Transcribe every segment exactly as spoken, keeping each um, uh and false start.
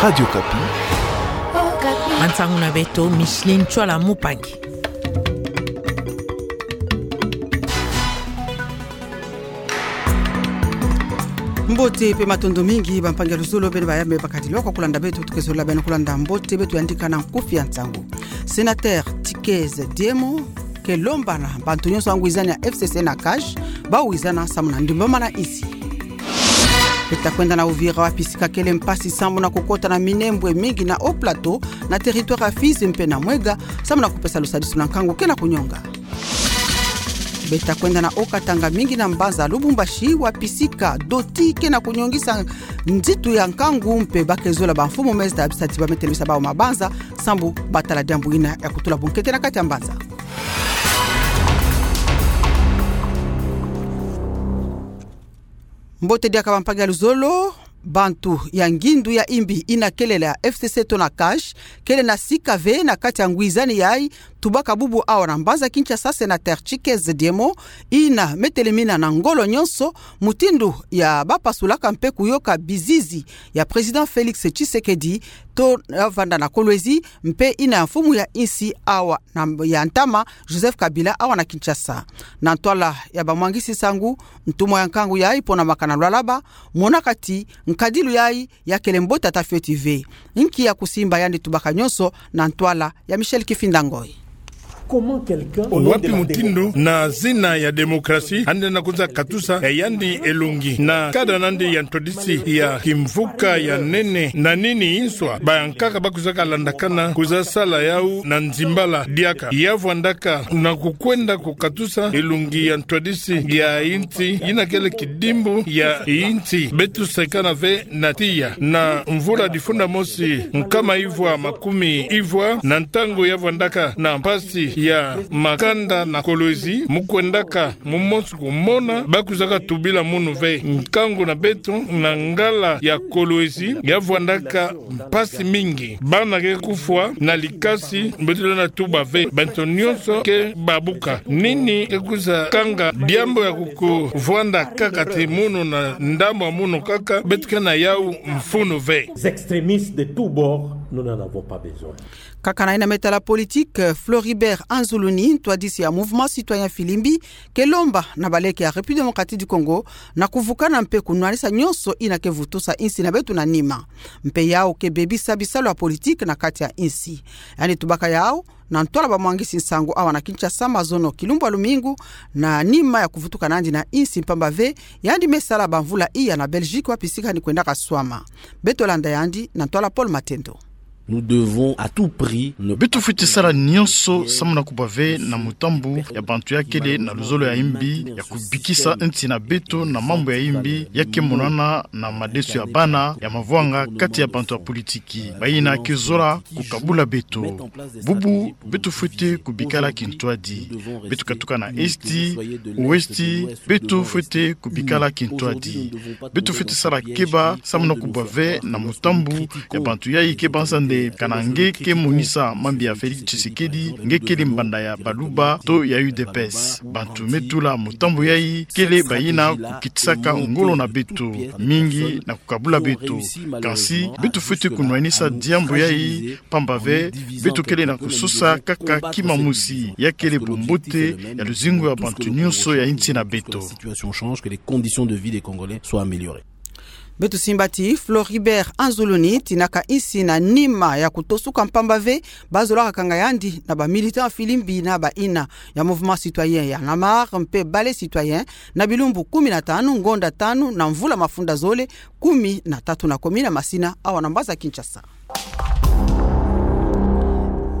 Radio Okapi. Mansangu na beto, Micheline Tshoala Mupangi. Mbote mpe matondo mingi, bampangi ya luzolo, beno bayambe bakadilwa kwa kulanda beto, tuke zolila beno kulanda mbote beto yandi ka na nkufi ya nsangu. Sénateur Tshikez Diemo ke lomba na bantu nyonso ya ngwizani ya F C C na CACH, bawizana samu na ndimbama na insi. Beta kwenda na Uvira, wapi sika kele mpasi samu na kukota na minembwe mingi na Haut-Plateau, na territoire ya Fizi mpe na Mouega, samu na kupesa lusadisu na nkangu ke na kunyonga. Beta kwenda na Haut-Katanga, mingi na mbanza Lubumbashi, wapi sika doti ke na kunyongisa nzitu ya nkangu, mpe ba ke zola bamfumu mezda bisati ba metelemisa bawu mabanza, sambu batala diambu ina ya kutula bunkete na kati ya mbanza. Mbote diaka, bampangi ya luzolo. Bantu ya ngindu ya imbi ina kele la F C C to na CACH kele na sika ve na kati ya ngwizani yayi, tubaka bubu awa na mbanza Kinshasa sénateur Tshikez Diemo, ina metelemina na ngolo nyonso mutindu ya bapasulaka mpe kuyoka bizizi ya président Félix Tshisekedi to ya vanda na Kolwezi, mpe ina ya mfumu ya insi awa na ya ntama Joseph Kabila awa na Kinshasa. Na ntwala ya bamwangisi nsangu, ntumwa ya nkangu yayi pona makana lwalaba, monaka ti nkadilu yayi ya kele mbote ata fioti ve. Nki ya kusimba yandi tubaka nyonso na ntwala ya Michel Kifinda Ngoi. Wapi mutindu na zina ya démocratie yandi na kwiza katusa ya yandi elongi na kada nandi ya ntwadisi ya kimvuka ya nene? Na nini inswa bayankaka ba kwizaka landakana kwiza sala yawu na nzimbala diaka? Ya vwandaka na kukwenda kukatusa elongi ya ntwadisi ya insi ina kele kidimbu ya insi. Beto sekana ve na tiya na mvula difunda mosi nkama ivwa makumi ivwa, na ntangu ya vwandaka na mpasi ya makanda na Kolwezi, mu kwendaka mu mosi kumona, ba kwizaka tubila munu ve. Nkangu na beto na ngala ya Kolwezi ya vwandaka mpasi mingi. Bana ke kufwa na likasi, beto lenda tuba ve. Bantu nyonso ke babuka. Nini ke kwiza kanga diambu ya kukuvwanda kaka ti munu na ndambu ya munu kaka? Beto ke na yawu mfunu ve. Les extrémistes de tous bords, nous n'en avons pas besoin. Kaka na ina me tala politique, Floribert Anzuluni, ntwadisi ya Mouvement Citoyen Filimbi, ke lomba na baleke ya République Démocratique du Congo na kuvukana mpe kunwanisa nyonso ina ke vutusa insi na beto na nima. Mpe yawu ke bebisa bisalu ya politique na kati ya insi. Yandi tubaka yawu na ntwala bamwangisi nsangu awa na Kinshasa mazono kilumbu ya lumingu, na nima ya kuvutuka nandi na insi, mpamba ve yandi me sala bamvula iya na Belgique, wapi sika yandi kwendaka swama. Beto landa yandi na ntwala Paul Matendo. Nous devons à tout prix ne... Beto fwete sala nyonso samu na kubwa ve na mutambu ya bantu ya kele na luzolo ya imbi ya kubikisa insi na beto na mambu ya imbi ya ke monana na madeso ya bana ya mavwanga kati ya bantu ya politiki. Bayina ke zola kukabula beto. Bubu beto fwete kubikala kintwadi. Beto katuka na Est, Ouest, beto fwete kubikala kintwadi. Beto fwete sala keba samu na kubwa ve na mutambu ya bantu yayi ke banza nde kana nge ke monisa mambi ya Félix Tshisekedi, nge kele mbanda ya Baluba to ya U D P S. Bantu me tula mutambu yayi kele bayina kukitisaka ngolo na beto mingi na kukabula beto. Kansi beto fwete kunwanisa diambu yayi, mpamba ve beto kele na kusosa kaka kima mosi, ya kele bumbote ya luzingu ya bantu nyonso ya insi na beto. Situation change, que les conditions de vie des Congolais soient améliorées. Beto simba ti Floribert Anzuluni tinaka insi na nima ya kutosuka, mpamba ve bazolaka kanga yandi na ba militants Filimbi na bayina ya Mouvement Citoyen Y'en a marre mpe Balai Citoyen na bilumbu kumi na tanu, ngonda tanu na mvula mafunda zole kumi na tatu na komina Masina awa na mbanza Kinshasa.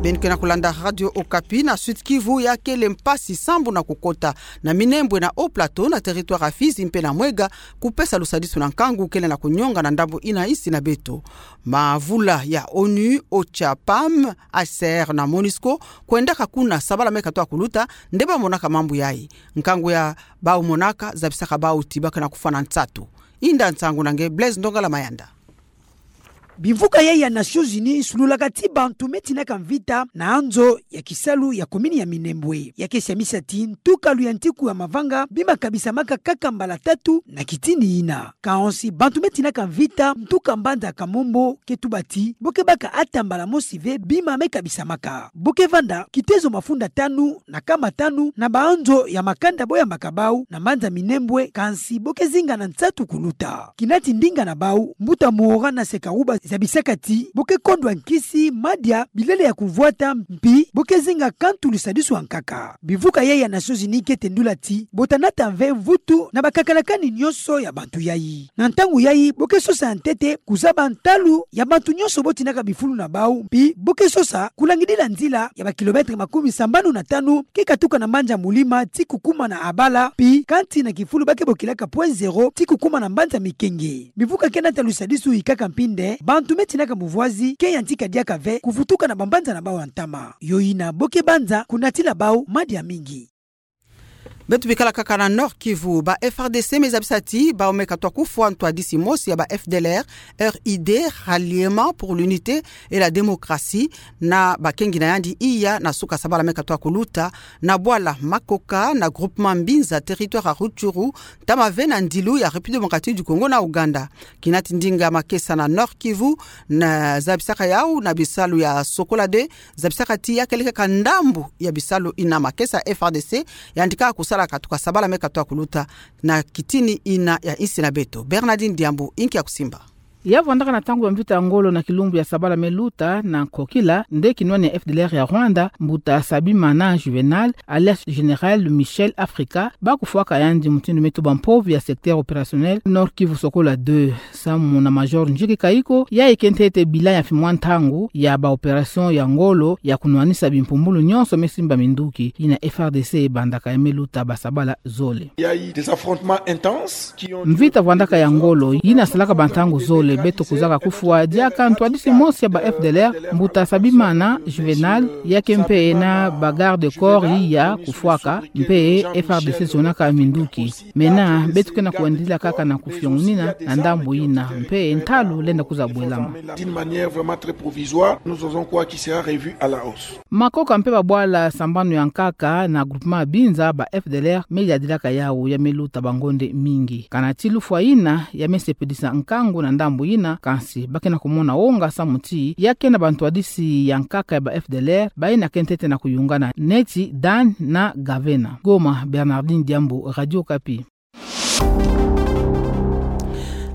Beno ke na kulanda Radio Okapi. Na Sud-Kivu, ya kele mpasi sambu na kukota na minembwe na Haut-Plateau, na territoire ya Fizi mpe na Mouega, kupesa lusadisu na nkangu kele na kunyonga na ndambu ina insi na beto. Mavula ya ONU, OCHA, PAM, H C R na MONUSCO kwendaka kuna sabala me katoa kuluta, nde bamonaka mambu yayi. Nkangu ya bawu monaka zabisaka bawu ti ba ke na kufwa na nsatu. Inda nsangu na nge Blaise Ndongala Mayanda. Bimvuka yai ya Nations Unies sululaka ti bantu me tinaka mvita na anzo ya kisalu ya komini ya Minembwe. Ya ke siamisa ti ntukalu ya ntiku ya mavanga bi makabisamaka kaka mbala tatu na kitini ina. Kansi bantu me tinaka mvita ntuka mbanza Kamombo ke tuba ti bo ke baka ata mbala mosi ve bima me kabisamaka. Bo ke vanda kitezo mafunda tanu na kama tanu na baanzo ya makanda bo yambaka bau na mbanza Minembwe, kansi bo ke zinga na nsatu kuluta. Kina ti ndinga na bau, mbuta Muhora Nasekaruba zabisaka ti bo ke kondwa nkisi, madia, bilele ya kumvwata, mpi bo ke zinga kantu lusadisu wa nkaka. Bimvuka yai ya Nations Unies ke tendula ti bo ta nata mve mvutu na bakakalakani nyonso ya bantu yai. Na ntangu yai bo ke sosa ya ntete kuzaba ntalu ya bantu nyonso bo tinaka bifulu na bau, mpi bo ke sosa kulangidila nzila ya ba kilomètre makumi sambanu na tanu ke katuka na mbanza Mulima ti kukuma na Abala, mpi kanti na kifulu ba ke bokilaka point zéro ti kukuma na mbanza Mikenge. Bimvuka ke nata lusadisu ikaka mpi nde bantu me tinaka muvwazi ke yantika diaka ve kuvutuka na bambanza na bau ya ntama. Yo ina bo ke banza kunatila bau madia mingi. Beto bikala kaka na Nord-Kivu, ba F R D C me zabisa ti bau me katwa kufwa ntwadisi mosi ya ba F D L R, R I D, Ralliement pour l'Unité et la Démocratie, na bakengi na yandi iya na suka sabala me katwa kuluta, na bwala Makoka, na groupement Mbinza, territoire ya Rutshuru, ntama ve na ndilu ya République Démocratique du Congo na Ouganda. Kina ti ndinga makesa na Nord-Kivu, na zabisaka yau na bisalu ya Sokola deux, zabisaka ti ya kele kaka ndambu ya bisalu ina makesa F R D C yandika kusala katuka sabala me katwa kuluta na kitini ina ya insi na beto. Bernardine Diambu, inki ya kusimba. Ya vwandaka na ntangu ya mvita ya ngolo na kilumbu ya sabala me luta na Nkokila, nde kinwani ya F D L R ya Rwanda, mbuta Sabimana Juvenal, alias Général Michel Africa, ba kufwaka yandi mutindu me tuba mpovi ya secteur opérationnel Nord-Kivu Sokola deux. Samu na Major Njiki Kayiko, yayi ke ntete bilan ya fimwa ntangu ya ba opération ya ngolo ya kunwanisa bimpumbulu nyonso me simba minduki, ina F R D C bandaka ya me luta ba sabala zole. Il y a eu des affrontements intenses qui ont duré plus de deux heures. Mvita vwandaka ya ngolo, yina salaka ba ntangu zole, beto kuzaka kufwa diaka ntwadisi mosi ya ba F D L R, mbuta Sabimana Juvenal, ya ke mpe na ba garde corps iya kufwaka, mpe F R D C zonaka minduki. Mena, beto ke na kuwendila kaka na kufiongunina na ndambu yina, mpe ntalu lenda kuza bwelama. D'une manière vraiment très provisoire, nous osons croire qu'il sera revu à la hausse. Makoka mpe ba bwala sambanu ya nkaka na groupement Mbinza, ba F D L R me yadilaka yau ya me luta ba ngonde mingi. Kana ti lufwa yina ya me sepelisa nkangu na ndambu yina, kansi ba ke na kumona wonga samu ti ya ke na ba ntwadisi ya nkaka ya ba F D L R, bayina ke ntete na kuyungana neti Dan na Gavena. Goma, Bernardine Diambu, Radio Okapi.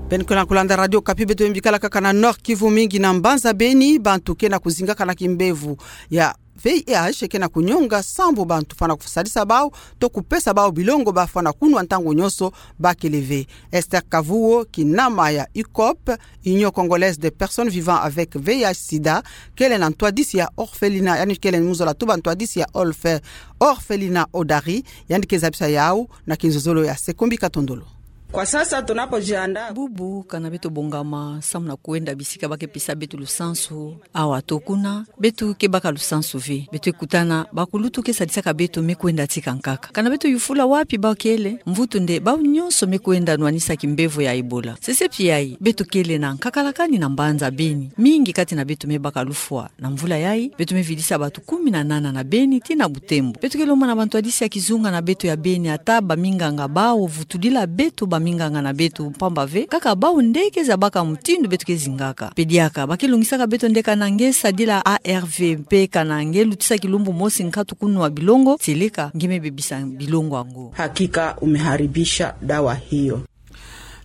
Beno ke na kulanda Radio Okapi, beto bikala kaka na Nord-Kivu, mingi na mbanza Beni, bantu ke na kuzingaka na kimbevo ya V I H ke na kunyonga sambu bantu fwana kusadisa bau, to kupesa bau bilongo ba fwana kunwa ntangu nyonso ba kele ve. Esther Kavuo, kinama ya U C O P, Union Congolaise des Personnes Vivant avec V I H sida, kele na ntwadisi ya orphelinat, yandi kele muzola tuba ntwadisi ya orphe-, orphelinat Odari, yandi ke zabisa yau na kinzozolo ya Sekombi Katondolo. Kwa sasa tunapojiandaa. Bubu, kana beto bongama samu na kwenda bisika ba ke pesa beto lusansu, awa to kuna, beto ke baka lusansu ve. Beto kutana, bakulutu ke sadisaka beto me kwenda tika nkaka. Kana beto yufula wapi ba kele, mvutu nde bau nyonso me kwenda nwanisa kimbevo ya Ebola. Sesepi yayi, beto kele na nkakalakani na mbanza Beni. Mingi kati na beto me baka lufwa. Na mvula yayi, beto me vidisa bantu kumi na nana na Beni tii na Butembo. Beto ke lomba na bantwadisi ya kizunga na beto ya Beni, ata baminganga bau vutudila beto baminganga na beto, mpamba ve kaka bau nde ke zabaka mutindu beto ke zingaka. Mpe diaka, ba ke longisaka beto nde kana nge sadila A R V mpe kana nge lutisa kilumbu mosi nkatu kunwa bilongo, tieleka nge me bebisa bilongo yango. Hakika umeharibisha dawa hiyo.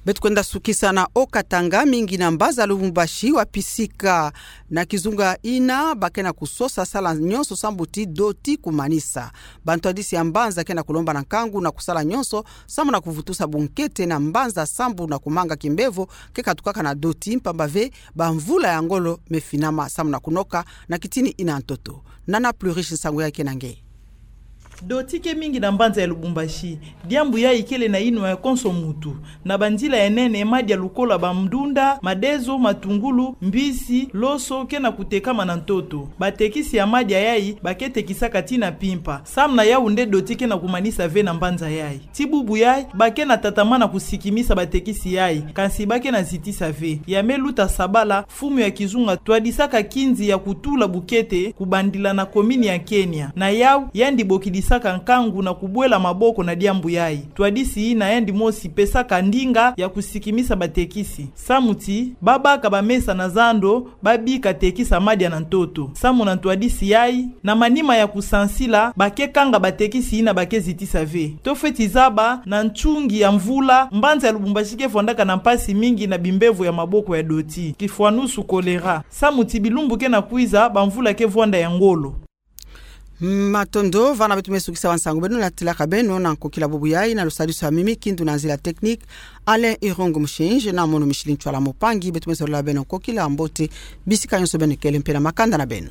Beto kwenda sukisa na Haut-Katanga, mingi na mbanza Lubumbashi wa pisika na kizunga yina ba ke na kusosa sala nyonso sambu ti doti kumanisa. Bantwadisi ya mbanza ke na kulomba na nkangu na kusala nyonso sambu na kuvutusa bunkete na mbanza sambu na kumanga kimbevo ke katukaka na doti, mpamba ve bamvula ya ngolo me finama sambu na kunoka na kitini yina ntoto. Nana Pluriche, nsangu yayi ke na nge. Doti ke mingi na mbanza ya Lubumbashi. Diambu yayi kele na inwa ya konso mutu. Na banzila ya nene, madi ya lukolo ya bandunda, madezo, matungulu, mbisi, loso, ke na kutekama na ntoto. Batekisi ya madi yayi ba ke tekisaka tii na mpimpa. Samu na yawu nde doti ke na kumanisa ve na mbanza yayi. Tii bubu yayi, ba ke na tatamana kusikimisa batekisi yayi, kansi ba ke na zitisa ve. Ya Me Luta Sabala, mfumu ya kizunga twadisaka kinzi ya kutula bukete kubandila na komini ya Kenya. Na yawu, yandi bokidisaka nkangu na kubwela maboko na diambu yayi. Twadisi yina yandi mosi pesaka ndinga ya kusikimisa batekisi. Samu ti, ba baka bamesa na zando, ba bika tekisa madi ya na ntoto. Samu na ntwadisi yayi, na manima ya kusansila, ba ke kanga batekisi yina ba ke zitisa ve. To fweti zaba, na ntungi ya mvula, mbanza ya Lubumbashi ke vwandaka na mpasi mingi na bimbevo ya maboko ya doti. Kifwanusu, choléra. Samu ti bilumbu ke na kwiza, bamvula ke vwanda ya ngolo. Matondo, vana beto me sukisa wa nsangu beno, natilaka beno na nkokila bubu yayi na lusadisu ya mimi kindu na nzila technique, Alain Irungu Mushinji, na mono Micheline Ntshwala Mupangi, beto me solola beno nkokila mbote, bisika nyonso beno kele mpe na makanda na beno.